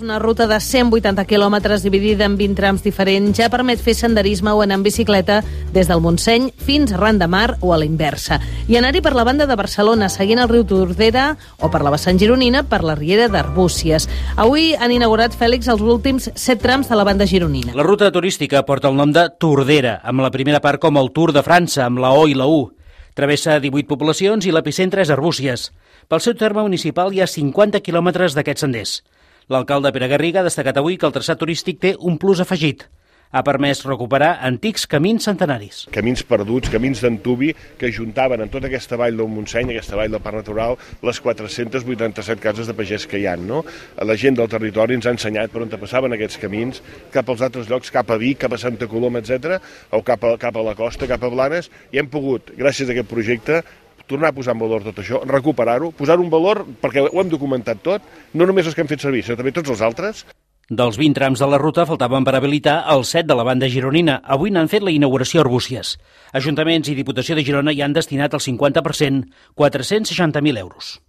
Una ruta de 180 quilòmetres dividida en 20 trams diferents ja permet fer senderisme o anar en bicicleta des del Montseny fins a Ran de Mar o a la inversa. I anar-hi per la banda de Barcelona, seguint el riu Tordera, o per la vessant gironina, per la riera d'Arbúcies. Avui han inaugurat, Fèlix, els últims 7 trams de la banda gironina. La ruta turística porta el nom de Tordera, amb la primera part com el Tour de França, amb la O i la U. Travessa 18 poblacions i l'epicentre és Arbúcies. Pel seu terme municipal hi ha 50 quilòmetres d'aquests senders. L'alcalde Pere Garriga ha destacat avui que el traçat turístic té un plus afegit. Ha permès recuperar antics camins centenaris. Camins perduts, camins d'antubi que ajuntaven en tota aquesta vall del Montseny, aquesta vall del Parc Natural, les 487 cases de pagès que hi ha. No? La gent del territori ens ha ensenyat per on passaven aquests camins, cap als altres llocs, cap a Vic, cap a Santa Coloma, etc., o cap a la costa, cap a Blanes, i hem pogut, gràcies a aquest projecte, tornar a posar en valor tot això, recuperar-ho, posar-ho en valor perquè ho hem documentat tot, no només els que hem fet servir, sinó també tots els altres. Dels 20 trams de la ruta faltaven per habilitar els 7 de la banda gironina. Avui n'han fet la inauguració a Arbúcies. Ajuntaments i Diputació de Girona hi han destinat el 50%, 460.000 euros.